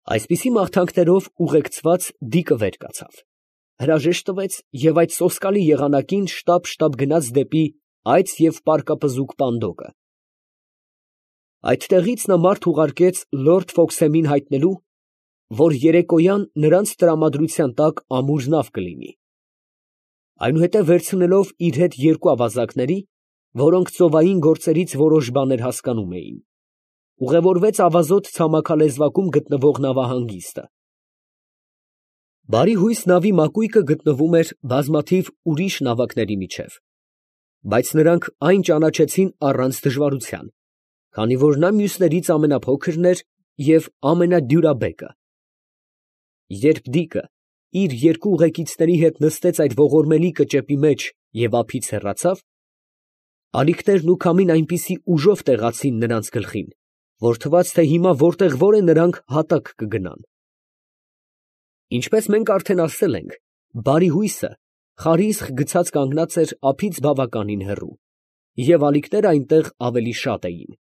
Այսպիսի մաղթանքներով ուղեկցված դիկը վեր կացավ, հրաժեշտ տվեց և այդ սոսկալի եղանակին շտապ գնաց դեպի այծ և պարկապզուկ պանդոկը։ Այդտեղից նա մարդ ուղարկեց լորդ Ֆոքսեմին հայտնելու, որ երեկոյան նրանց տրամադրության տակ ամուր նավ կլինի. այնուհետև վերցնելով իր հետ երկու ավազակների, որոնք ծովային գործերից որոշ բաներ հասկանում էին, ուղևորվեց ավազոտ ցամաքալեզվակում գտնվող նավահանգիստը։ Բարի հույս նավի մակույկը գտնվում էր բազմաթիվ ուրիշ նավակների միջև, բայց նրանք այն ճանաչեցին առանց դժվարության, քանի որ նա մյուսներից ամենափոքրն էր և ամենադյուրաբեկը։ Երբ դիկը իր երկու ուղեկիցների հետ նստեց այդ ողորմելի կճեպի մեջ և ափից հեռացավ, ալիքներն ու քամին այնպիսի ուժով տեղացին նրանց գլխին, որ թվաց, թե հիմա որտեղ որ է նրանք հատակ կգնան։ Ինչպես մենք արդեն ասել ենք, բարի հույսը խարիսխ գցած կանգնած էր ափից բավականին հեռու, և ալիքները այնտեղ ավելի շատ էին։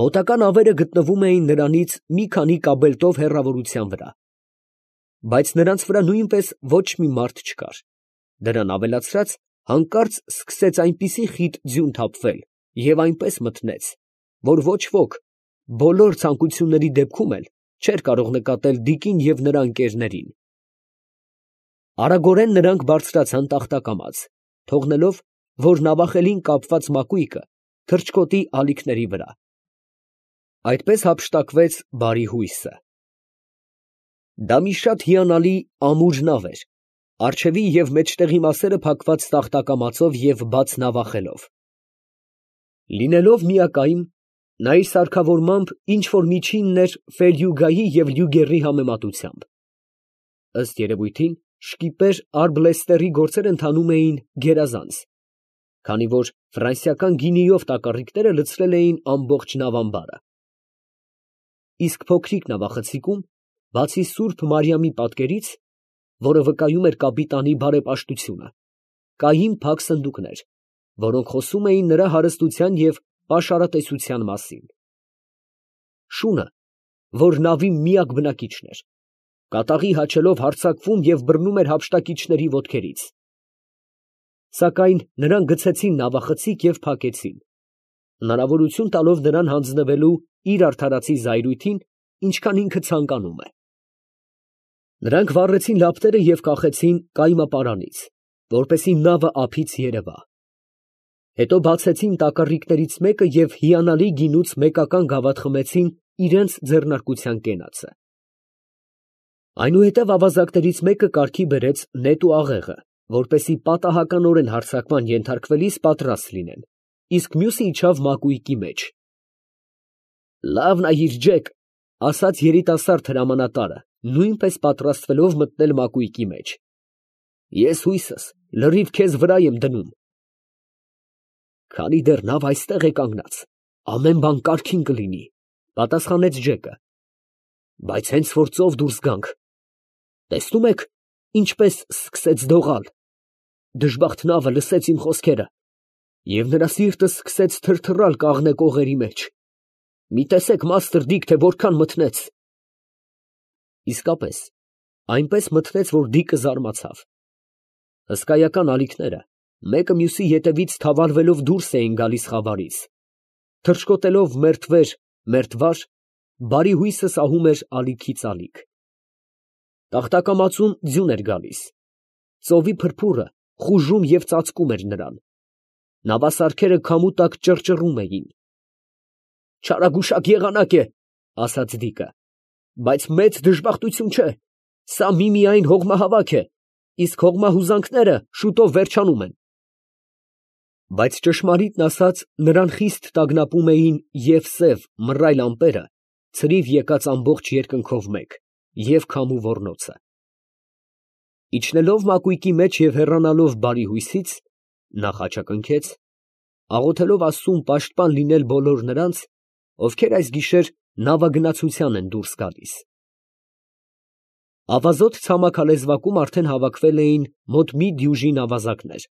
Մոտակա նավերը գտնվում էին նրանից մի քանի կաբելտով հեռավորության վրա, բայց նրանց վրա նույնպես ոչ մի մարդ չկար. դրան ավելացրած, հանկարծ սկսեց այնպիսի խիտ ձյուն թափվել և այնպես մթնեց, որ ոչ ոք, բոլոր ցանկությունների դեպքում էլ չէր կարող նկատել դիկին և նրա ընկերներին։ Արագորեն նրանք բարձրացան տախտակամաց, թողնելով, որ նավախելին կապված մակույկը թռչկոտի ալիքների վրա։ Այդպես հափշտակվեց բարի հույսը։ Դա մի շատ հիանալի ամուր նավ էր, առջևի և մեջտեղի մասերը փակված տախտակամածով և բաց նավախելով։ Լինելով միակայմ, նա իր սարքավորմամբ ինչ որ միջինն էր Ֆելյուգայի և Լյուգերի համեմատությամբ։ Ըստ երևույթին, շկիպեր Արբլեստերի գործեր ընթանում էին գերազանց, քանի որ ֆրանսիական գինիով տակառիկները լցրել էին ամբողջ նավամբարը։ Իսկ փոքրիկ նավախցիկում, բացի սուրբ Մարիամի պատկերից, որը վկայում էր կապիտանի բարեպաշտությունը, կային փակ սնդուկներ, որոնք խոսում էին նրա հարստության և պաշարատեսության մասին։ Շունը, որ նավի միակ բնակիչն էր, կատաղի հաչելով հարձակվում և բռնում էր հափշտակիչների ոտքերից։ Սակայն նրանք գցեցին նավախցիկ և փակեցին, հնարավորություն տալով նրան հանձնվելու իր արդարացի զայրույթին, ինչքան ինքը ցանկանում է։ Նրանք վառեցին լապտերը և կախեցին կայմապարանից, որպեսզի նավը ափից երևա։ Հետո բացեցին տակառիկներից մեկը և հիանալի գինուց մեկական գավաթ խմեցին իրենց ձեռնարկության կենացը։ Այնուհետև ավազակներից մեկը կարգի բերեց նետ ու աղեղը, որպեսզի պատահականորեն հարձակման ենթարկվելիս պատրաստ լինեն, իսկ մյուսը իջավ մակույկի մեջ։ «Լավ նայիր, Ջեք», ֊ ասաց երիտասարդ հրամանատարը, նույնպես պատրաստվելով մտնել մակույկի մեջ։ «Ես հույսս լրիվ քեզ վրա եմ դնում»։ «Քանի դեռ նավը այստեղ է կանգնած, ամեն բան կարգին կլինի», ֊ պատասխանեց Ջեկը։ «Բայց հենց որ ծով դուրս գանք, տեսնում եք, ինչպես սկսեց դողալ։ Դժբախտ նավը լսեց իմ խոսքերը, և նրա սիրտը սկսեց թրթռալ կաղնե կողերի մեջ։ Մի տեսեք, մաստր Դիք, թե որքան մթնեց»։ Իսկապես, այնպես մթնեց, որ Դիկը զարմացավ։ Հսկայական ալիքները մեկը մյուսի ետևից թավալվելով դուրս էին գալիս խավարից։ Թռչկոտելով մերթ վեր, մերթ վար, բարի հույսը սահում էր ալիքից ալիք։ Տախտակամածուն ձյուն էր գալիս։ Ծովի փրփուրը խուժում և ծածկում էր նրան։ Նավասարքերը քամու տակ ճռճռում էին։ «Չարագուշակ եղանակ է», ֊ ասաց Դիկը, ֊ «բայց մեծ դժբախտություն չէ. սա միմիայն հողմահավաք է, իսկ հողմահուզանքները շուտով վերջանում են»։ Բայց ճշմարիտն ասած, նրան խիստ տագնապում էին և սև, մռայլ ամպերը, ցրիվ եկած ամբողջ երկնքով մեկ, և քամու ոռնոցը։ Իջնելով մակույկի մեջ և հեռանալով բարի հույսից, նա խաչակնքեց, աղոթելով Աստծուն պաշտպան լինել բոլոր նրանց, ովքեր այս գիշեր նավագնացության են դուրս գալիս։ Ավազոտ ցամաքալեզվակում արդեն հավաքվել էին մոտ մի դյուժին ավազակներ։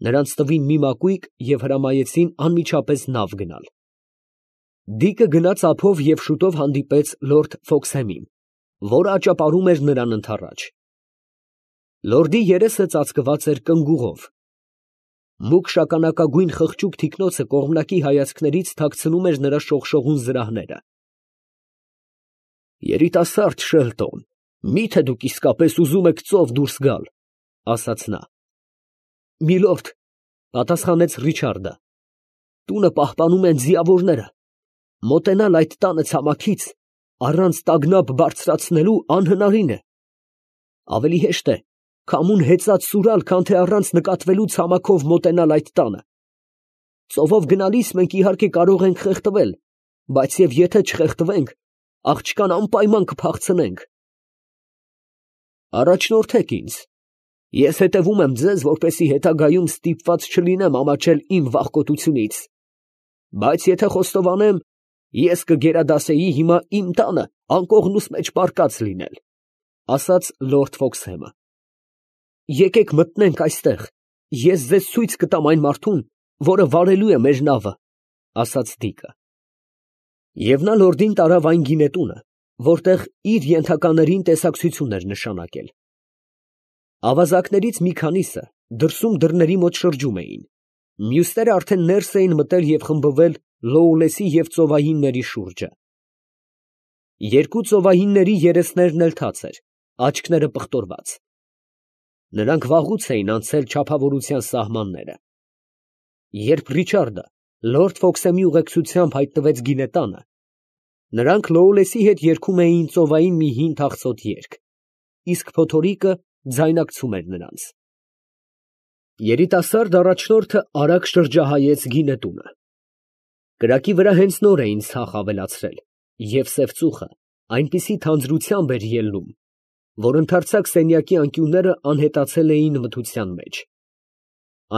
Նրանց տվին մի մակույկ և հրամայեցին անմիջապես նավ գնալ։ Դիկը գնաց ափով և շուտով հանդիպեց լորդ Ֆոքսհեմին, որը աճապարում էր նրան ընդառաջ։ Լորդի երեսը ծածկված էր կնգուղով։ Մուգ շագանակագույն խղճուկ թիկնոցը կողմնակի հայացքներից թաքցնում էր նրա շողշողուն զրահները։ «Երիտասարդ Շելտոն, մի՞թե դուք իսկապես ուզում եք ծով դուրս գալ», ֊ ասաց նա։ ֊ Միլորդ, ֊ պատասխանեց Ռիչարդը, ֊ տունը պահպանում են ձիավորները։ Մոտենալ այդ տանը ցամաքից առանց տագնապ բարձրացնելու անհնարին է։ Ավելի հեշտ է քամուն հեծած սուրալ, քան թե առանց նկատվելու ցամաքով մոտենալ այդ տանը։ Ծովով գնալիս մենք իհարկե կարող ենք խեղդվել, բայց և եթե չխեղդվենք, աղջկան անպայման կփախցնենք։ Առաջնորդեք ինձ, ես հետևում եմ ձեզ, որպեսզի հետագայում ստիպված չլինեմ ամաչել իմ վախկոտությունից, բայց եթե խոստովանեմ, ես կգերադասեի հիմա իմ տանը անկողնուս մեջ պառկած լինել, ֊ ասաց լորդ Ֆոքսհեմը։ Եկեք մտնենք այստեղ, ես ձեզ ցույց կտամ այն մարդուն, որը վարելու է մեր նավը, ֊ ասաց Դիկը։ Եվ նա լորդին տարավ այն գինետունը, որտեղ իր ենթականերին տեսակցություն էր նշանակել։ Ավազակներից մի քանիսը դրսում դռների մոտ շրջում էին, մյուսները արդեն ներս էին մտել և խմբվել Լոուլեսի և ծովահինների շուրջը։ Երկու ծովահինների երեսներն էլ թաց էր, աչքերը պղտորված։ Նրանք վաղուց էին անցել չափավորության սահմանները։ Երբ Ռիչարդը լորդ Ֆոքսեմի ուղեկցությամբ հայտնվեց գինետանը, նրանք Լոուլեսի հետ երգում էին ծովային մի հին թախծոտ երգ, իսկ փոթորիկը ձայնակցում էր նրանց։ Երիտասարդ առաջնորդը արագ շրջահայեց գինետունը։ Կրակի վրա հենց նոր էին ցախ ավելացրել, և սև ծուխը այնպիսի թանձրությամբ էր ելնում, որ ընդարձակ սենյակի անկյունները անհետացել էին մթության մեջ։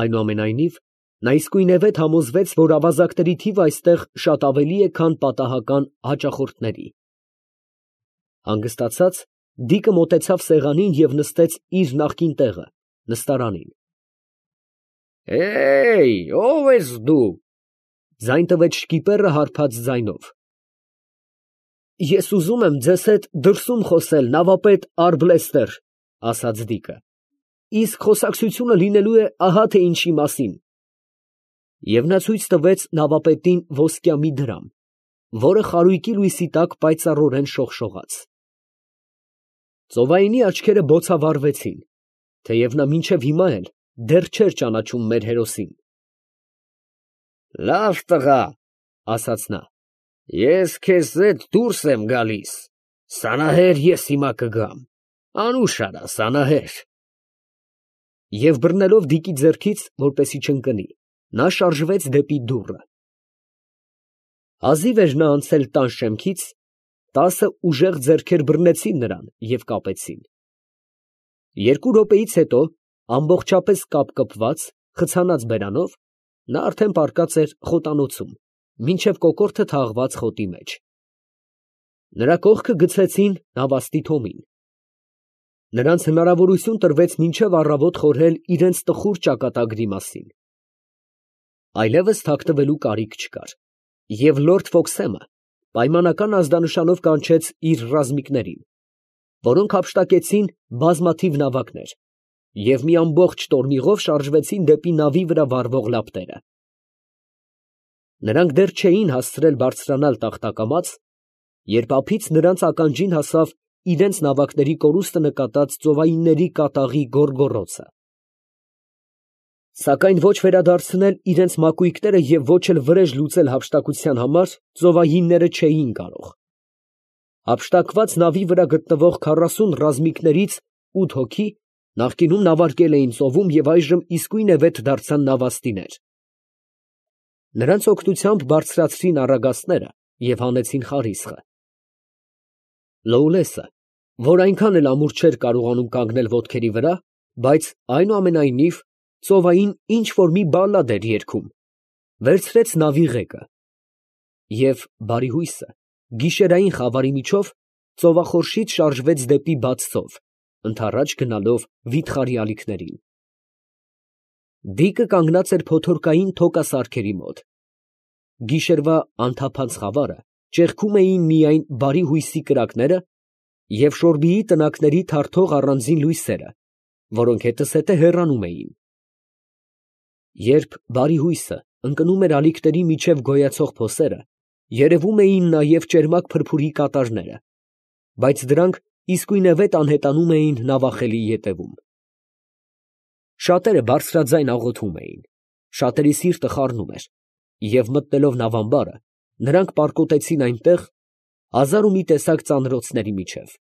Այնուամենայնիվ, նա իսկույնևեթ համոզվեց, որ ավազակների թիվը այստեղ շատ ավելի է, քան պատահական հաճախորդների։ Հանգստացած, Դիկը մոտեցավ սեղանին և նստեց իր նախկին տեղը, նստարանին։ Ո՞վ ես դու, ֊ ձայն տվեց շկիպերը հարբած ձայնով։ Ես ուզում եմ ձեզ հետ դրսում խոսել, նավապետ Արգլեստեր, ֊ ասաց Դիկը, ֊ իսկ խոսակցությունը լինելու է ահա թե ինչի մասին։ Եվ նա ցույց տվեց նավապետին ոսկյա մի դրամ, որը խարույկի լույսի տակ պայծառորեն շողշողաց։ Ծովայինի աչքերը բոցավառվեցին, թեև նա մինչև հիմա էլ դեռ չէր ճանաչում մեր հերոսին։ Լավ տղա, ֊ ասաց նա, ֊ ես քեզ հետ դուրս եմ գալիս, սանահեր ես հիմա կգամ, անուշ արա, սանահեր։ Եվ բռնելով Դիկի ձեռքից, որպեսզի չընկնի, նա շարժվեց դեպի դուռը։ Հազիվ էր նա անցել տան շեմքից, 10 ուժեղ ձեռքեր բռնեցին նրան և կապեցին։ 2 րոպեից հետո, ամբողջապես կապկպված, խցանած բերանով, նա արդեն պառկած էր խոտանոցում, մինչև կոկորդը թաղված խոտի մեջ։ Նրա կողքը գցեցին նավաստի թոմին։ Նրանց հնարավորություն տրվեց մինչև առավոտ խորհել իրենց տխուր ճակատագրի մասին։ Այլևս թաքնվելու կարիք չկար, և լորդ Ֆոքսեմը պայմանական ազդանշանով կանչեց իր ռազմիկներին, որոնք հափշտակեցին բազմաթիվ նավակներ և մի ամբողջ տորմիղով շարժվեցին դեպի նավի վրա վառվող լապտերը։ Նրանք դեռ չէին հասցրել բարձրանալ տախտակամաց, երբ ափից նրանց ականջին հասավ իրենց նավակների կորուստը նկատած ծովայինների կատաղի գոռգոռոցը։ Սակայն ոչ վերադարձնել իրենց մակույկները և ոչ էլ վրեժ լուծել հափշտակության համար ծովահինները չէին կարող։ Հափշտակված նավի վրա գտնվող 40 ռազմիկներից 8 հոգի նախկինում նավարկել էին ծովում և այժմ իսկույնևեթ դարձան նավաստիներ։ Նրանց օգնությամբ բարձրացրին առագաստները և հանեցին խարիսխը։ Լոուլեսը, որ այնքան էլ ամուր չէր կարողանում կանգնել ոտքերի վրա, բայց այնուամենայնիվ ծովային ինչ֊որ մի բալլադ էր երգում, վերցրեց նավի ղեկը և, բարի հույսը, գիշերային խավարի միջով ծովախորշից շարժվեց դեպի բաց ծով, ընդառաջ գնալով վիթխարի ալիքներին։ Դիկը կանգնած էր փոթորկային թոկասարքերի մոտ։ գիշերվա անթափանց խավարը ճեղքում էին միայն բարի հույսի կրակները և շորբիի տնակների թարթող առանձին լույսերը, որոնք հետզհետե հեռանում էին։ Երբ բարի հույսը ընկնում էր ալիքների միջև գոյացող փոսերը, երևում էին նաև ճերմակ փրփուրի կատարները, բայց դրանք իսկույնևեթ անհետանում էին նավախելի ետևում։ Շատերը բարձրաձայն աղոթում էին, շատերի սիրտը խառնում էր, և մտնելով նավամբարը, նրանք պառկոտեցին այնտեղ հազար ու մի տեսակ ծանրոցների միջև։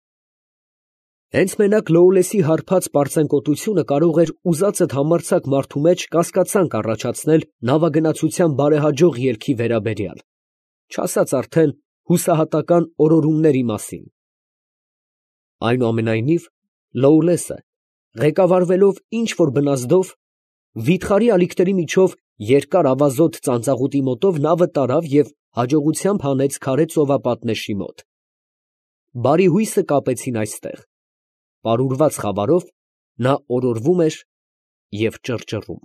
Հենց մենակ Լոուլեսի հարբած պարծենկոտությունը կարող էր ուզածդ համարձակ մարդու մեջ կասկածանք առաջացնել նավագնացության բարեհաջող ելքի վերաբերյալ, չասած արդեն հուսահատական օրորումների մասին։ Այնուամենայնիվ, Լոուլեսը, ղեկավարվելով ինչ֊որ բնազդով, վիթխարի ալիքների միջով երկար ավազոտ ծանծաղուտի մոտով նավը տարավ և հաջողությամբ հանեց քարե ծովապատնեշի մոտ։ Բարի հույսը կապեցին այստեղ, պարուրված խավարով նա օրորվում էր և ճռճռում։